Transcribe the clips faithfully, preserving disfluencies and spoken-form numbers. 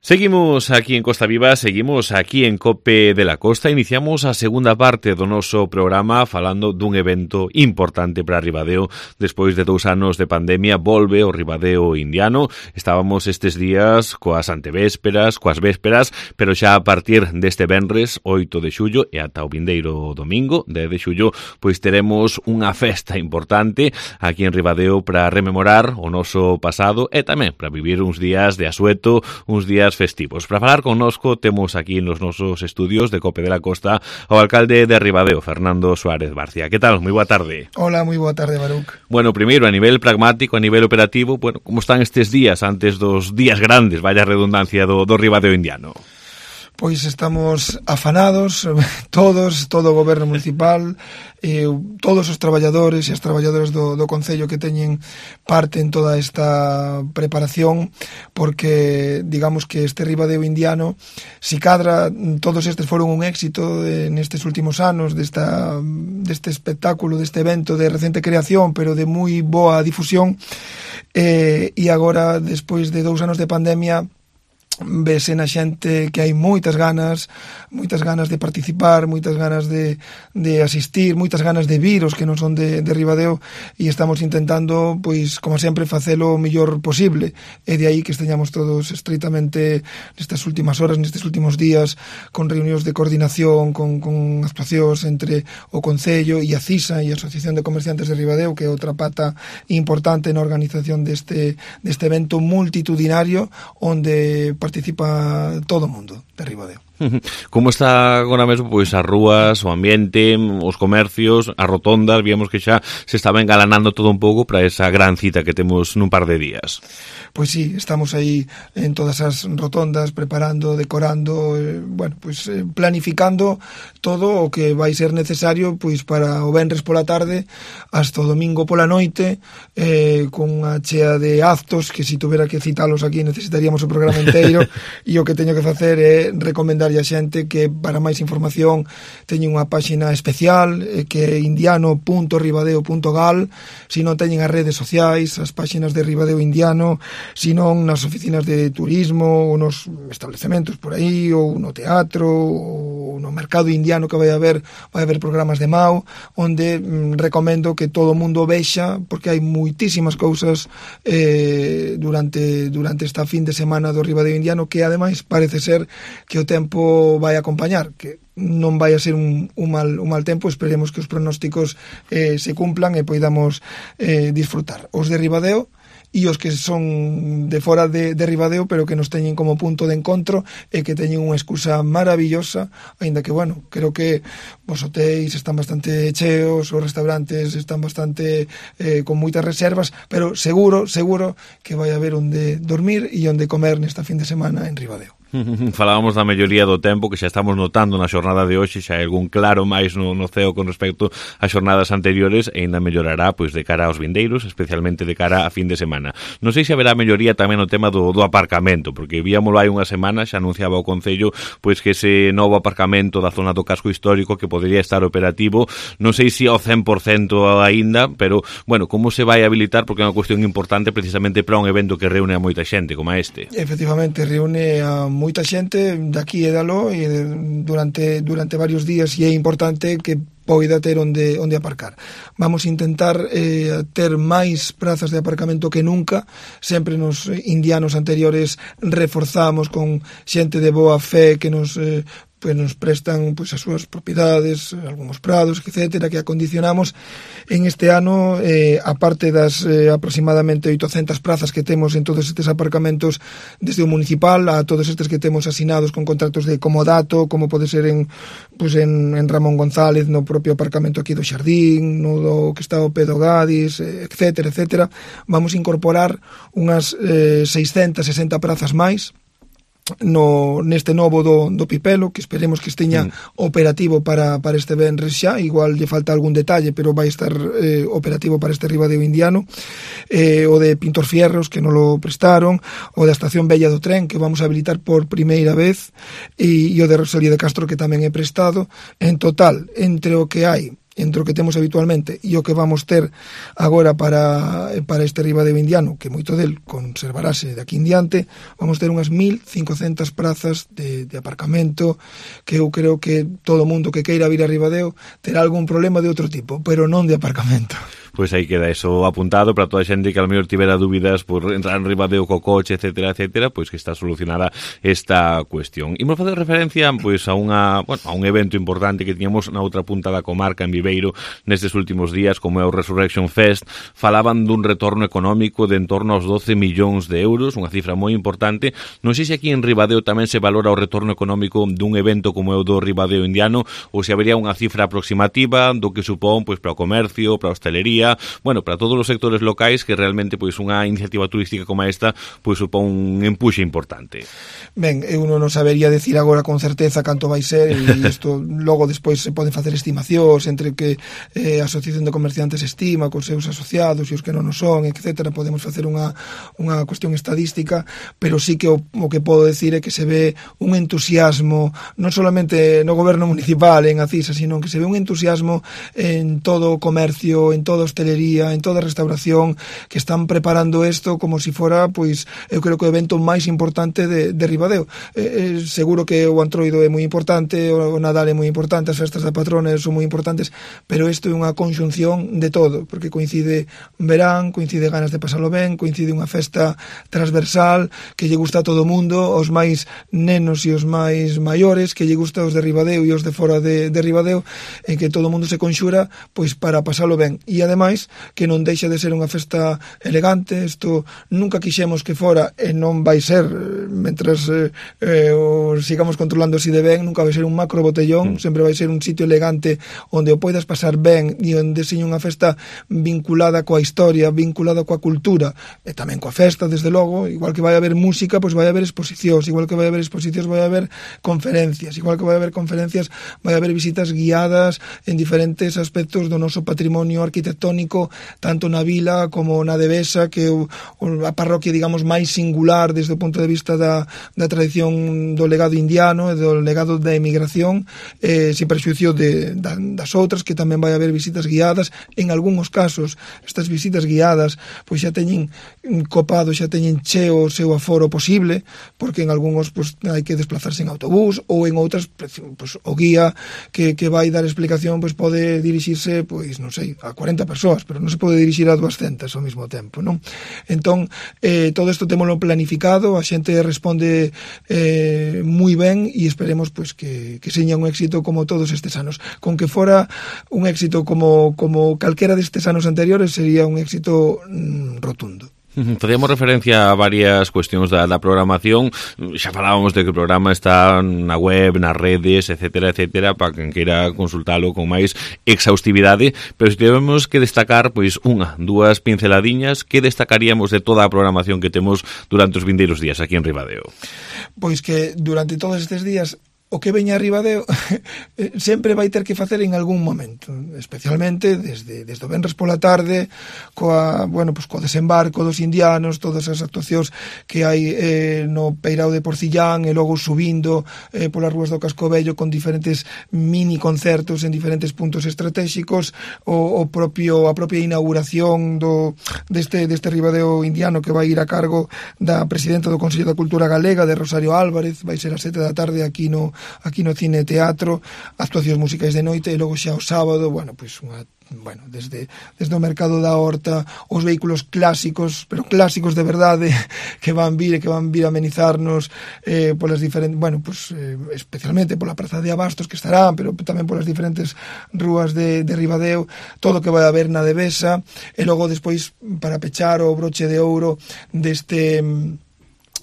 Seguimos aquí en Costa Viva, seguimos aquí en Cope de la Costa. Iniciamos a segunda parte do noso programa falando dun evento importante para Ribadeo. Despois de dous anos de pandemia, volve o Ribadeo indiano. Estábamos estes días coas antevésperas, coas vésperas, pero xa a partir deste venres, oito de xullo, e ata o vindeiro domingo, dez de xullo, pois teremos unha festa importante aquí en Ribadeo para rememorar o noso pasado e tamén para vivir uns días de asueto, uns días festivos. Para falar connosco temos aquí nos nosos estudios de Cope de la Costa o alcalde de Ribadeo, Fernando Suárez Barcia. Que tal? Moi boa tarde. Hola, moi boa tarde, Baruc. Bueno, primeiro, a nivel pragmático, a nivel operativo, bueno, como están estes días antes dos días grandes, vaya redundancia, do, do Ribadeo indiano? Pois estamos afanados, todos, todo o goberno municipal, eh, todos os traballadores e as traballadoras do, do Concello que teñen parte en toda esta preparación, porque digamos que este Ribadeo indiano, si cadra, todos estes foron un éxito de, nestes últimos anos desta, deste espectáculo, deste evento de recente creación, pero de moi boa difusión, eh, e agora, despois de dous anos de pandemia, vese na xente que hai moitas ganas, moitas ganas de participar, moitas ganas de, de asistir, moitas ganas de vir os que non son de, de Ribadeo, e estamos intentando, pois, como sempre, facelo o mellor posible, e de aí que esteñamos todos estreitamente nestas últimas horas, nestes últimos días, con reunións de coordinación, con, con actuacións entre o Concello e a CISA e a Asociación de Comerciantes de Ribadeo, que é outra pata importante na organización deste, deste evento multitudinario, onde participa todo o mundo de Ribadeo. Como está agora mesmo pois as rúas, o ambiente, os comercios, as rotondas? Víamos que xa se estaba engalanando todo un pouco para esa gran cita que temos nun par de días. Pois sí, estamos aí en todas as rotondas preparando, decorando, eh, bueno, pois eh, planificando todo o que vai ser necesario pois para o venres pola tarde hasta o domingo pola noite, eh, con unha chea de actos que se si tuvera que citalos aquí necesitaríamos o programa inteiro, e o que teño que facer é recomendar a xente que para máis información teñen unha páxina especial eh, que é indiano punto ribadeo punto gal, se non teñen as redes sociais, as páxinas de Ribadeo indiano, se non nas oficinas de turismo ou nos establecementos por aí, ou no teatro ou no mercado indiano que vai haber vai haber programas de Mao, onde mm, recomendo que todo o mundo vexa, porque hai moitísimas cousas eh, durante durante esta fin de semana do Ribadeo indiano, que ademais parece ser que o tempo vai acompañar, que non vai a ser un, un, mal, un mal tempo. Esperemos que os pronósticos eh, se cumplan e poidamos eh, disfrutar os de Ribadeo e os que son de fora de, de Ribadeo, pero que nos teñen como punto de encontro e que teñen unha excusa maravillosa, aínda que, bueno, creo que os hotéis están bastante cheos, os restaurantes están bastante eh, con moitas reservas, pero seguro, seguro que vai haber onde dormir e onde comer nesta fin de semana en Ribadeo. Falábamos da melloría do tempo que xa estamos notando na xornada de hoxe, xa hai algún claro máis no, no ceo con respecto ás xornadas anteriores, e ainda mellorará pois de cara aos vindeiros, especialmente de cara a fin de semana. Non sei se haberá melloría tamén no tema do, do aparcamento, porque víamolo hai unha semana, xa anunciaba o Concello pois que ese novo aparcamento da zona do casco histórico que podería estar operativo, non sei se ao cen por cento aínda, pero, bueno, como se vai habilitar, porque é unha cuestión importante precisamente para un evento que reúne a moita xente como este. Efectivamente, reúne a moita xente daqui e dalo e durante durante varios días, e é importante que poida ter onde onde aparcar. Vamos a intentar eh, ter máis prazas de aparcamento que nunca. Sempre nos indianos anteriores reforzamos con xente de boa fe que nos eh, pues nos prestan pues as súas propiedades, algúns prados, etcétera, que acondicionamos. En este ano, eh, aparte das eh, aproximadamente oitocentas prazas que temos en todos estes aparcamentos desde o municipal a todos estes que temos asinados con contratos de comodato, como pode ser en pues en, en Ramón González, no propio aparcamento aquí do Xardín, no do que está o Pedo Gadis, etcétera, etcétera, vamos a incorporar unhas eh, seiscentas sesenta prazas máis no neste novo do, do Pipelo, que esperemos que esteña mm. operativo para, para este venres xa, igual lle falta algún detalle, pero vai estar eh, operativo para este Ribadeo indiano, eh, o de Pintor Fierros, que non lo prestaron, o da Estación Bella do Tren, que vamos a habilitar por primeira vez, e, e o de Rosalía de Castro, que tamén é prestado. En total, entre o que hai entre o que temos habitualmente e o que vamos ter agora para, para este Ribadeo indiano, que moito del conservarase de aquí en diante, vamos ter unhas mil cincocentas prazas de, de aparcamento, que eu creo que todo o mundo que queira vir a Ribadeo terá algún problema de outro tipo, pero non de aparcamento. Pois aí queda eso apuntado para toda a xente que a lo mellor tivera dúbidas por entrar en Ribadeo co coche, etcétera, etcétera, pois que está solucionada esta cuestión. Imos facer referencia pois a unha, bueno, a un evento importante que tiñamos na outra punta da comarca en Viveiro nestes últimos días, como é o Resurrection Fest. Falaban dun retorno económico de en torno aos doce millóns de euros, unha cifra moi importante. Non sei se aquí en Ribadeo tamén se valora o retorno económico dun evento como é o do Ribadeo indiano, ou se habería unha cifra aproximativa do que supón pois para o comercio, para a hostelería, bueno, para todos os sectores locais, que realmente pois unha iniciativa turística como esta pois supón un empuxe importante. Ben, eu non sabería decir agora con certeza canto vai ser, e isto logo despois se poden facer estimacións entre que eh, a Asociación de Comerciantes estima cos seus asociados e os que non o son, etcétera. Podemos facer unha, unha cuestión estadística, pero sí que o, o que podo decir é que se ve un entusiasmo non solamente no goberno municipal en Acisa, sino que se ve un entusiasmo en todo o comercio, en toda a hostelería, en toda a restauración, que están preparando isto como se si fora, pois, eu creo que o evento máis importante de, de Ribadeo. Eh, eh, seguro que o Antroido é moi importante, o Nadal é moi importante, as festas da patrona son moi importantes, pero isto é unha conxunción de todo, porque coincide verán, coincide ganas de pasalo ben, coincide unha festa transversal que lle gusta a todo o mundo, os máis nenos e os máis maiores, que lle gusta os de Ribadeo e os de fora de, de Ribadeo, en que todo o mundo se conxura pois para pasalo ben. E ademais que non deixa de ser unha festa elegante. Isto nunca quixemos que fora, e non vai ser mentras eh, eh, o sigamos controlando así de ben, nunca vai ser un macro botellón, mm. sempre vai ser un sitio elegante onde o poidas pasar ben e onde seña unha festa vinculada coa historia, vinculada coa cultura e tamén coa festa, desde logo. Igual que vai haber música, pois vai haber exposicións, igual que vai haber exposicións vai haber conferencias, igual que vai haber conferencias vai haber visitas guiadas en diferentes aspectos do noso patrimonio arquitectónico, tanto na vila como na Devesa, que é a parroquia, digamos, máis singular desde o punto de vista da, da tradición do legado indiano e do legado da emigración, eh, sin prexuicio de, da, das outras, que tamén vai haber visitas guiadas. En algúns casos, estas visitas guiadas pois xa teñen copado, xa teñen cheo o seu aforo posible, porque en algúns pois, hai que desplazarse en autobús, ou en outras pois, o guía que, que vai dar explicación pois pode dirixirse, pois non sei, a cuarenta persoas, pero non se pode dirixir a duascentas ao mesmo tempo, non? Entón, eh, todo isto témolo planificado, a xente responde eh, moi ben, e esperemos pois que, que seña un éxito como todos estes anos. Con que fora un éxito como, como calquera destes anos anteriores, sería un éxito mm, rotundo. Facíamos referencia a varias cuestións da, da programación. Xa falábamos de que o programa está na web, nas redes, etcétera, etcétera, para quen queira consultalo con máis exhaustividade, pero se tivemos que destacar pois unha, dúas pinceladiñas, que destacaríamos de toda a programación que temos durante os vindeiros días aquí en Ribadeo? Pois que durante todos estes días o que veña a Ribadeo sempre vai ter que facer en algún momento, especialmente desde, desde o venres pola tarde, coa, bueno, pues, co desembarco dos indianos, todas as actuacións que hai eh, no Peirao de Porcillán, e logo subindo eh, polas rúas do Casco Vello con diferentes mini concertos en diferentes puntos estratégicos, o, o propio, a propia inauguración do, deste, deste Ribadeo indiano, que vai ir a cargo da presidenta do Consello da Cultura Galega, de Rosario Álvarez. Vai ser a sete da tarde aquí no aquí no Cine Teatro, actuacións musicais de noite, e logo xa o sábado, bueno, pois unha bueno, desde, desde o mercado da Horta, os vehículos clásicos, pero clásicos de verdade, que van vir e que van vir a amenizarnos eh, polas diferentes, bueno, pues, eh, especialmente pola Praza de Abastos, que estarán, pero tamén polas diferentes rúas de, de Ribadeo, todo o que vai haber na Devesa, e logo despois, para pechar o broche de ouro deste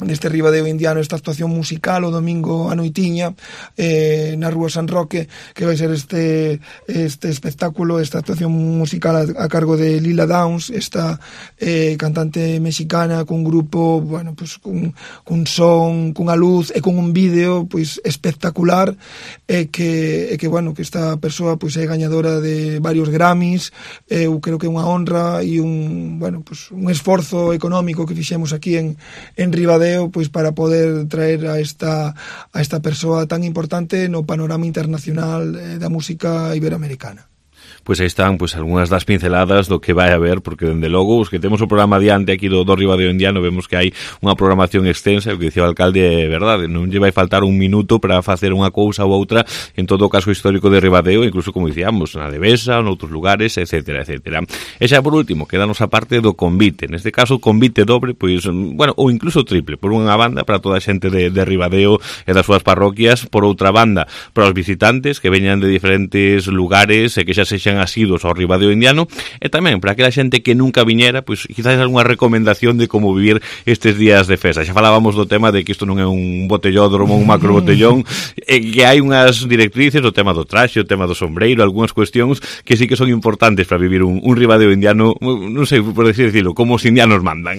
deste Ribadeo indiano, esta actuación musical o domingo a noitiña eh, na Rúa San Roque, que vai ser este este espectáculo, esta actuación musical a, a cargo de Lila Downs, esta eh, cantante mexicana, cun grupo, bueno, pues cun, cun son, cunha luz e con un vídeo pois espectacular, e que, e que bueno, que esta persoa pois é gañadora de varios Grammys. Eu creo que é unha honra e un, bueno, pues un esforzo económico que fixemos aquí en, en Ribadeo, pois para poder traer a esta a esta persoa tan importante no panorama internacional da música iberoamericana. Pois aí están pois algunhas das pinceladas do que vai haber, porque dende logo os que temos o programa adiante aquí do, do Ribadeo Indiano vemos que hai unha programación extensa, o que dicía o alcalde é verdade, non lle vai faltar un minuto para facer unha cousa ou outra en todo o caso histórico de Ribadeo, incluso como dicíamos, na Devesa, noutros lugares, etcétera, etcétera. E xa por último, quedanos a parte do convite, neste caso convite dobre, pois, bueno, ou incluso triple, por unha banda para toda a xente de, de Ribadeo e das súas parroquias, por outra banda para os visitantes que veñan de diferentes lugares e que xa sexan asidos ao Ribadeo Indiano, e tamén para aquela xente que nunca viñera, pois quizás algunha recomendación de como vivir estes días de festa. Xa falábamos do tema de que isto non é un botellódromo, un macro botellón, e que hai unhas directrices, o tema do traxe, o tema do sombreiro, algunhas cuestións que sí que son importantes para vivir un, un Ribadeo Indiano, non sei, por decir, decirlo, como os indianos mandan.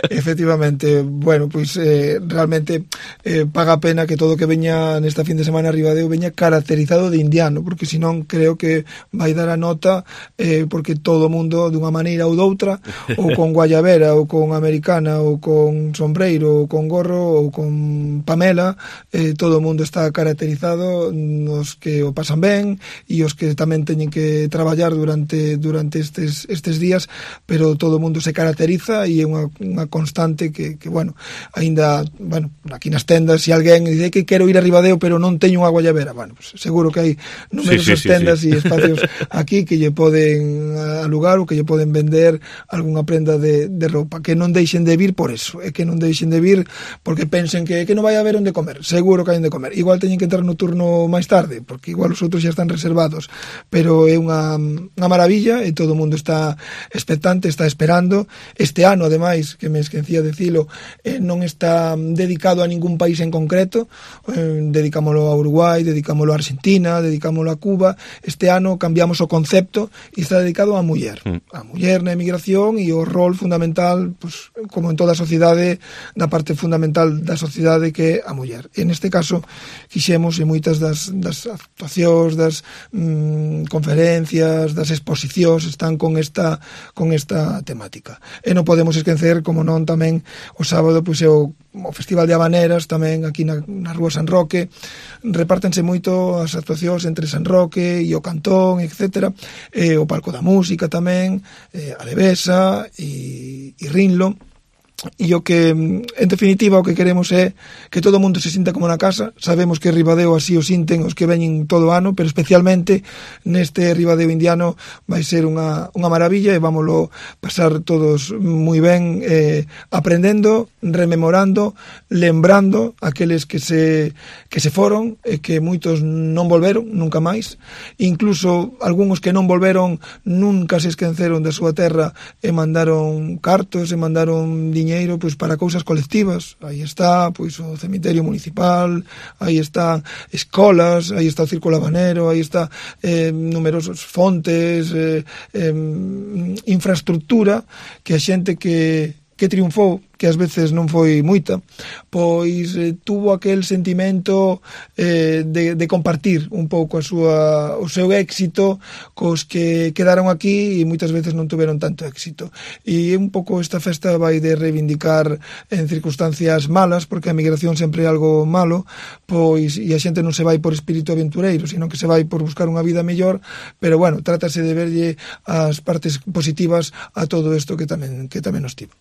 Efectivamente, bueno, pois eh, realmente eh, paga a pena que todo que veña nesta fin de semana a Ribadeo veña caracterizado de indiano, porque senón creo que vai dar a nota eh, porque todo o mundo dunha maneira ou doutra, ou con guayabera, ou con americana, ou con sombreiro, ou con gorro, ou con pamela, eh, todo o mundo está caracterizado, os que o pasan ben e os que tamén teñen que traballar durante durante estes estes días, pero todo o mundo se caracteriza e é unha, unha constante que, que bueno, aínda, bueno, aquí nas tendas, se alguén dice que quero ir a Ribadeo pero non teño unha guayabera, bueno, pues seguro que hai numerosas sí, sí, tendas e sí, sí. espacios aquí que lle poden alugar ou que lle poden vender algunha prenda de, de roupa, que non deixen de vir por eso, é que non deixen de vir porque pensen que, que non vai haber onde comer, seguro que hai onde comer, igual teñen que entrar no turno máis tarde, porque igual os outros xa están reservados, pero é unha, unha maravilla e todo o mundo está expectante, está esperando. Este ano, ademais, que me esquecía de dicilo, eh, non está dedicado a ningún país en concreto, eh, dedicámoslo a Uruguai, dedicámoslo a Argentina, dedicámoslo a Cuba. Este ano cambiamos o concepto e está dedicado á muller, mm. a muller na emigración e o rol fundamental, pues, como en toda a sociedade, da parte fundamental da sociedade que é a muller. E neste caso quixemos, e moitas das, das actuacións, das mm, conferencias, das exposicións están con esta con esta temática. E non podemos esquecer, como non, tamén o sábado pois é o, o Festival de Habaneras, tamén aquí na, na Rúa San Roque. Repártense moito as actuacións entre San Roque e o Cantón, etcétera. E o Palco da Música tamén, e a Devesa e, e Rinlo. E o que, en definitiva, o que queremos é que todo o mundo se sinta como na casa. Sabemos que Ribadeo así o sinten os que veñen todo o ano, pero especialmente neste Ribadeo Indiano vai ser unha, unha maravilla e vámoslo pasar todos moi ben, eh, aprendendo, rememorando, lembrando aqueles que se que se foron e que moitos non volveron nunca máis, incluso algúns que non volveron nunca se esqueceron da súa terra e mandaron cartos e mandaron diñeiro pois para cousas colectivas. Aí está pois o cemiterio municipal, aí están escolas, aí está o Círculo Habanero, aí está eh, numerosos fontes, eh, eh, infraestructura que a xente que que triunfou, que ás veces non foi moita, pois eh, tuvo aquel sentimento eh, de, de compartir un pouco a súa, o seu éxito cos que quedaron aquí e moitas veces non tuveron tanto éxito. E un pouco esta festa vai de reivindicar en circunstancias malas, porque a migración sempre é algo malo, pois e a xente non se vai por espírito aventureiro, sino que se vai por buscar unha vida mellor, pero bueno, trátase de verlle as partes positivas a todo isto que tamén que tamén nos tivo.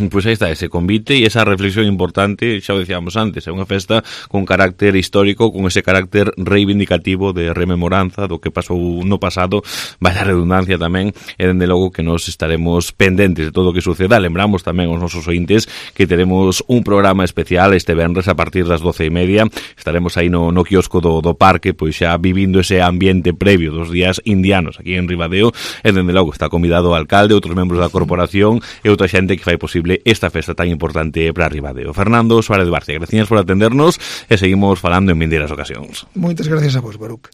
Pois aí está ese convite e esa reflexión importante, xa o decíamos antes, é unha festa con carácter histórico, con ese carácter reivindicativo de rememoranza do que pasou no pasado, vai a redundancia tamén, e dende logo que nos estaremos pendentes de todo o que suceda. Lembramos tamén aos nosos ointes que teremos un programa especial este venres a partir das doce e media, estaremos aí no, no quiosco do, do parque, pois xa vivindo ese ambiente previo dos días indianos aquí en Ribadeo, e dende logo está convidado o alcalde, outros membros da corporación e outra xente que fai posible esta festa tan importante para Ribadeo. Fernando Suárez Barcia, gracias por atendernos e seguimos falando en vindeiras ocasións. Moitas gracias a vos, Baruch.